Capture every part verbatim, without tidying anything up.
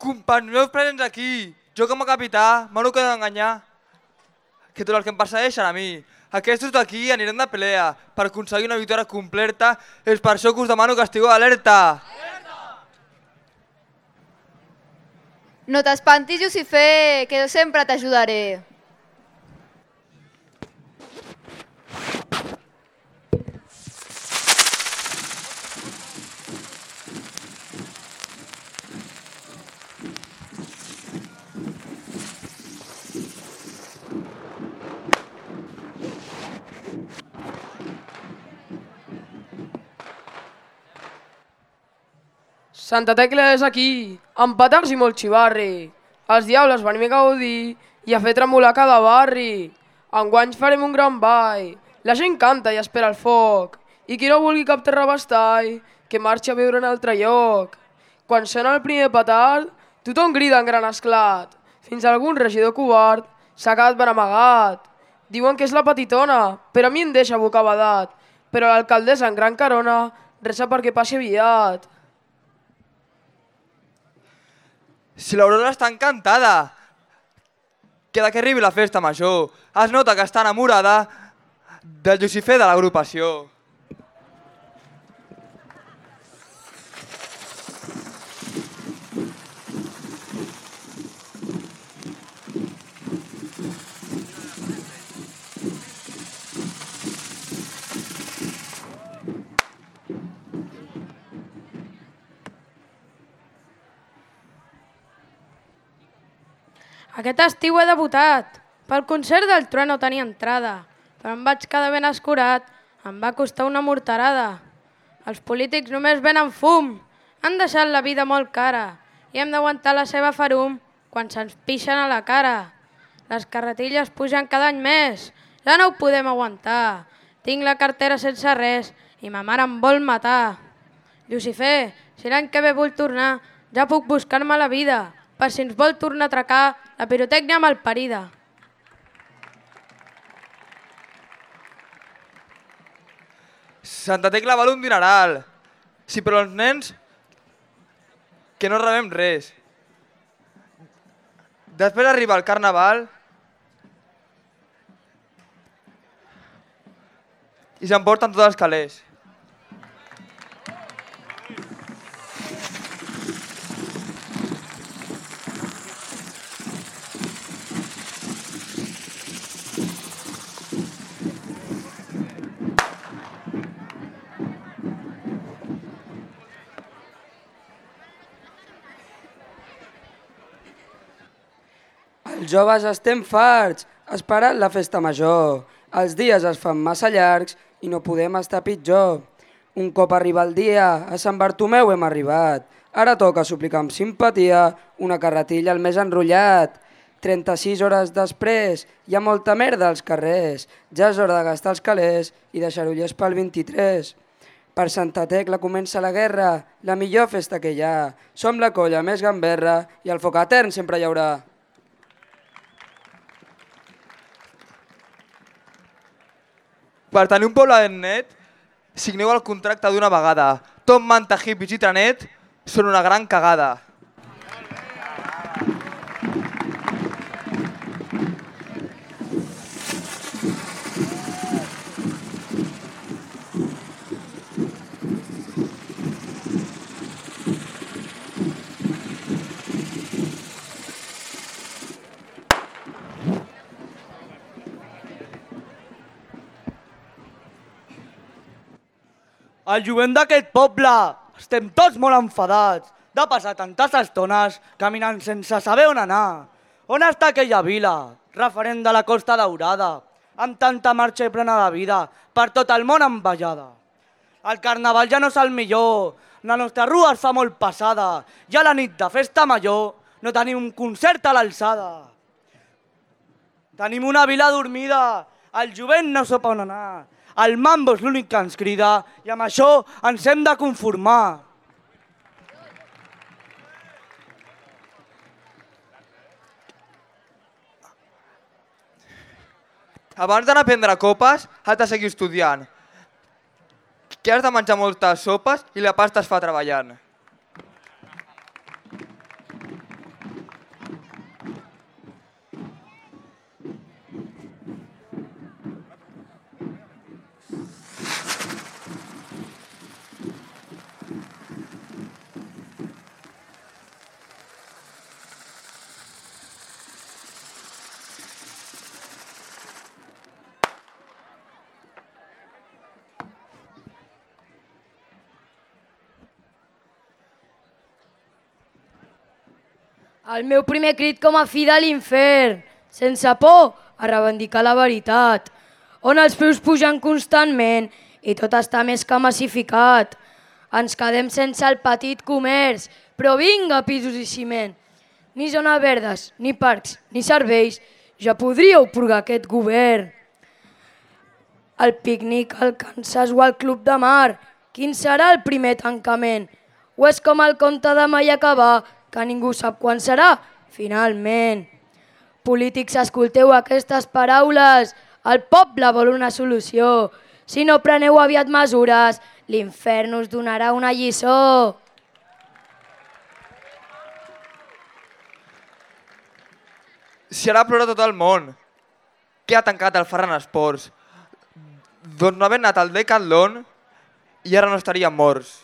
Companys meus presents aquí, jo com a capità m'ho quedat d'enganyar que tots els que em persegueixen a mi. Aquests d'aquí anirem de pelea per aconseguir una victòria completa. És per això que us demano que estigueu alerta. No t'espantis, Jucifer, que jo sempre t'ajudaré. Santa Tecla és aquí, amb petards i molt xivarri. Els diables venim a gaudir i a fer tremolar cada barri. Enguany farem un gran ball, la gent canta i espera el foc. I qui no vulgui cap terra bastall, que marxi a viure en altre lloc. Quan sona el primer petard, tothom crida en gran esclat. Fins algun regidor covard s'ha quedat ben amagat. Diuen que és la petitona, però a mi em deixa bocabadat. Però l'alcaldessa en gran carona resa perquè passi aviat. Si l'Aurora està encantada, queda que arribi la festa major. Es nota que està enamorada del Jucifer de l'agrupació. Aquest estiu he debutat. Pel concert del Trueno tenia entrada, però em vaig quedar ben escurat. Em va costar una morterada. Els polítics només venen fum. Han deixat la vida molt cara i hem d'aguantar la seva ferum quan se'ns pixen a la cara. Les carretilles pugen cada any més. Ja no ho podem aguantar. Tinc la cartera sense res i ma mare em vol matar. Jucifer, si l'any que ve vull tornar, ja puc buscar-me la vida, per si ens vol tornar a atracar la pirotècnia malparida. Santa Tecla val un dineral. Si per als nens que no rebem res. Després arriba el carnaval i s'emporten tots els calés. Els joves estem farts, esperant la festa major. Els dies es fan massa llargs i no podem estar pitjor. Un cop arriba el dia, a Sant Bartomeu hem arribat. Ara toca suplicar amb simpatia una carretilla al més enrotllat. trenta-sis hores després, hi ha molta merda als carrers. Ja és hora de gastar els calés i deixar ullers pel vint-i-tres. Per Santa Tecla comença la guerra, la millor festa que hi ha. Som la colla més gamberra i el foc etern sempre hi haurà. Per tenir un poblet net, signeu el contracte d'una vegada. Tot manta, hippies i trenet són una gran cagada. El jovent d'aquest poble estem tots molt enfadats de passar tantes estones caminant sense saber on anar. On està aquella vila, referent de la Costa Daurada, amb tanta marxa i plena de vida, per tot el món envejada? El carnaval ja no és el millor, la nostra rua es fa molt passada, i a la nit de festa major no tenim un concert a l'alçada. Tenim una vila dormida, el jovent no sap on anar. El mambo és l'únic que ens crida i amb això ens hem de conformar. Abans d'anar a prendre copes, has de seguir estudiant. Que has de menjar moltes sopes i la pasta es fa treballant. El meu primer crit com a fi de l'infern, sense por a reivindicar la veritat, on els preus pugen constantment i tot està més que massificat. Ens quedem sense el petit comerç, però vinga, pisos i ciment. Ni zones verdes, ni parcs, ni serveis, ja podríeu purgar aquest govern. El pícnic al Kansas o al Club de Mar, quin serà el primer tancament? O és com el conte de mai acabar, que ningú sap quan serà, finalment. Polítics, escolteu aquestes paraules, el poble vol una solució. Si no preneu aviat mesures, l'infern us donarà una lliçó. Si ara plora tot el món, què ha tancat el Ferran Esports? Doncs no haver anat al Decathlon i ara no estaríem morts.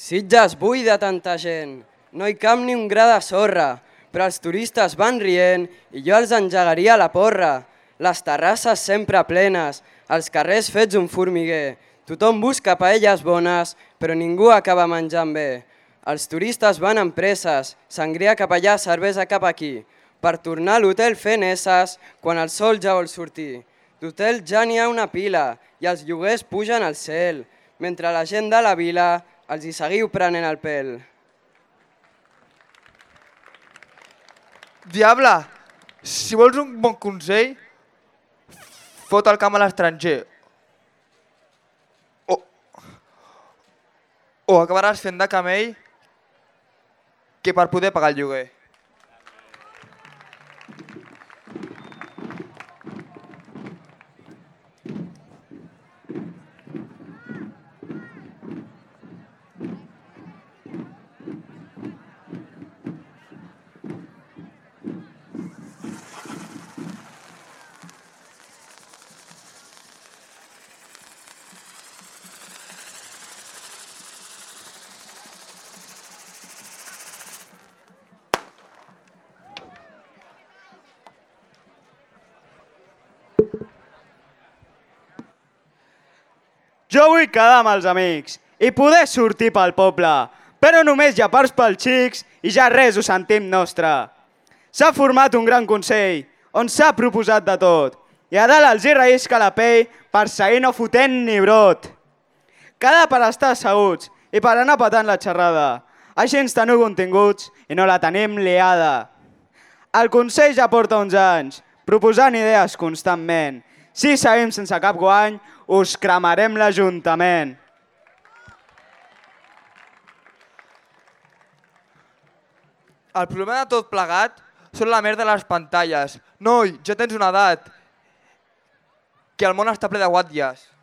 Sitges buida tanta gent, no hi cap ni un gra de sorra, però els turistes van rient i jo els engegaria la porra. Les terrasses sempre plenes, els carrers fets un formiguer, tothom busca paelles bones, però ningú acaba menjant bé. Els turistes van amb presses, sangria cap allà, cervesa cap aquí, per tornar a l'hotel fent esses quan el sol ja vol sortir. D'hotel ja n'hi ha una pila i els lloguers pugen al cel, mentre la gent de la vila els hi seguiu prenent el pèl. Diable, si vols un bon consell, fot el camp a l'estranger. O, o acabaràs fent de camell que per poder pagar el lloguer. Jo vull quedar amb els amics i poder sortir pel poble, però només hi ha parts pels xics i ja res ho sentim nostre. S'ha format un gran consell on s'ha proposat de tot i a dalt els hi rellisca la pell per seguir no fotent ni brot. Quedar per estar asseguts i per anar patant la xerrada. Així ens teniu continguts i no la tenim liada. El Consell ja porta uns anys proposant idees constantment. Si seguim sense cap guany, us cremarem l'Ajuntament. El problema de tot plegat són la merda de les pantalles. Noi, ja tens una edat, que el món està ple de guàtries.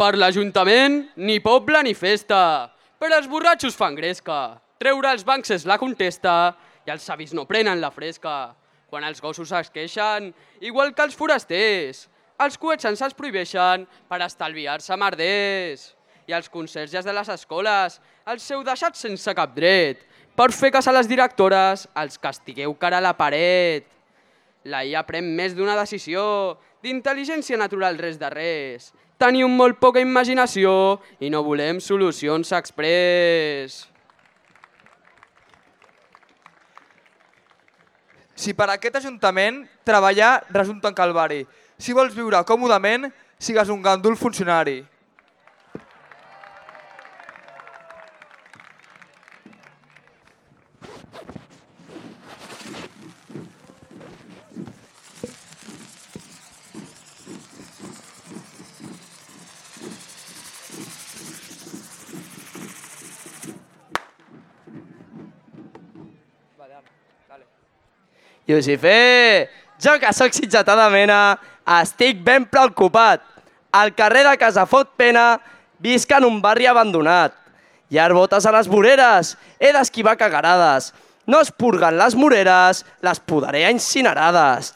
Per l'Ajuntament, ni poble ni festa, però els borratxos fan gresca. Treure els bancs és la contesta i els avis no prenen la fresca. Quan els gossos es queixen, igual que els forasters, els coets ens els prohibeixen per estalviar-se merders. I els conserges de les escoles els heu deixat sense cap dret. Per fer cas a les directores, els castigueu cara a la paret. La I A pren més d'una decisió, d'intel·ligència natural res de res. Teniu molt poca imaginació i no volem solucions exprés. Si per aquest Ajuntament treballar resulta un calvari. Si vols viure còmodament, sigues un gandul funcionari. Lucifer, jo que sóc sitgetà de mena, estic ben preocupat. Al carrer de Casa Fot Pena visc en un barri abandonat. Hi ha botes a les voreres, he d'esquivar cagarades. No es purguen les moreres, les podaré a incinerades.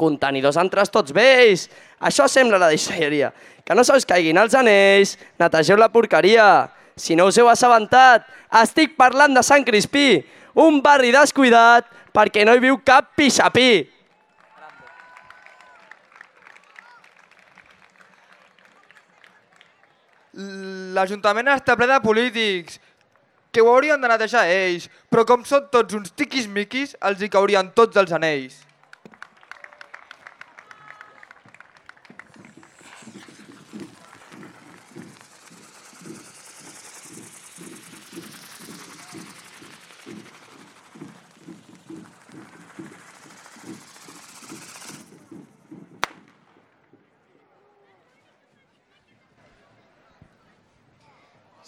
Contenidors entre tots vells, això sembla la deixalleria. Que no se us caiguin els anells, netegeu la porqueria. Si no us heu assabentat, estic parlant de Sant Crispí, un barri descuidat perquè no hi viu cap pixapí. L'Ajuntament està ple de polítics, que ho haurien de netejar ells, però com són tots uns tiquis-miquis, els hi caurien tots els anells.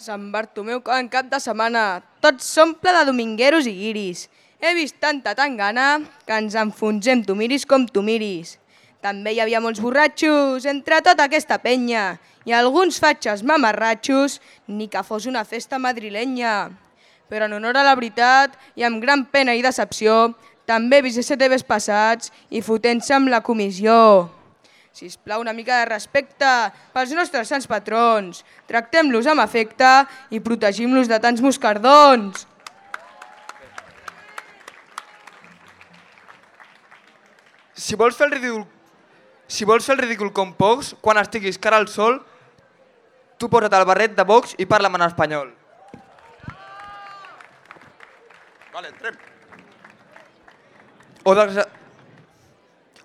Sant Bartomeu en cap de setmana, tot s'omple de domingueros i guiris. He vist tanta tangana que ens enfonsem, tu miris com tu miris. També hi havia molts borratxos entre tota aquesta penya i alguns fatxes mamarratxos, ni que fos una festa madrilenya. Però en honor a la veritat i amb gran pena i decepció, també he vist S T Vs passats i fotent-se amb la comissió. Sisplau, una mica de respecte pels nostres sants patrons. Tractem-los amb afecte i protegim-los de tants moscardons. Si vols fer el ridícul, si vols fer el ridícul com pocs, quan estiguis cara al sol, tu posa't el barret de Vox i parla'm en espanyol. Vale, entrem. O desgraciat...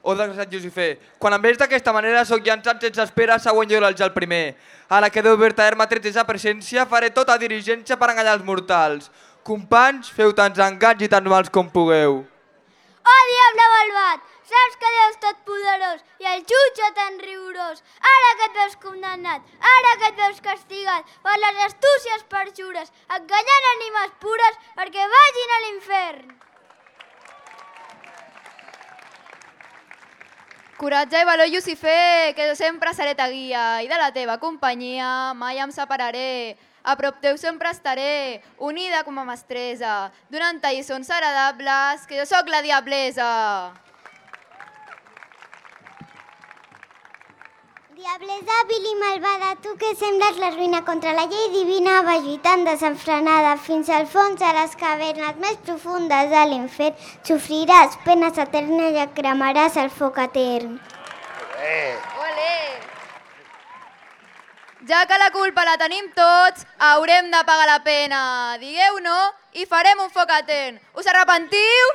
O desgraciat Lucifer, quan em veus d'aquesta manera sóc llançat sense espera, següent jo el primer. Ara que Déu vertader m'ha tret sa presència, faré tota dirigència per enganyar els mortals. Companys, feu tants engats i tants mals com pugueu. Oh, diable malvat! Saps que Déu és tot poderós i el jutge tan rigorós. Ara que et veus condemnat, ara que et veus castigat per les astúcies perjures, enganyant ànimes pures perquè vagin a l'infern. Coratge i valor, Lucifer, que jo sempre seré ta guia i de la teva companyia mai em separaré. A prop teu sempre estaré, unida com a mestressa, donant-te lliçons agradables, que jo sóc la diablesa. Diablesa vil i malvada, tu que sembles la ruïna contra la llei divina, va lluitant desenfrenada fins al fons de les cavernes més profundes de l'infern. Sofriràs penes eternes i cremaràs el foc etern. Olé! Ja que la culpa la tenim tots, haurem de pagar la pena. Digueu no i farem un foc etern. Us arrepentiu?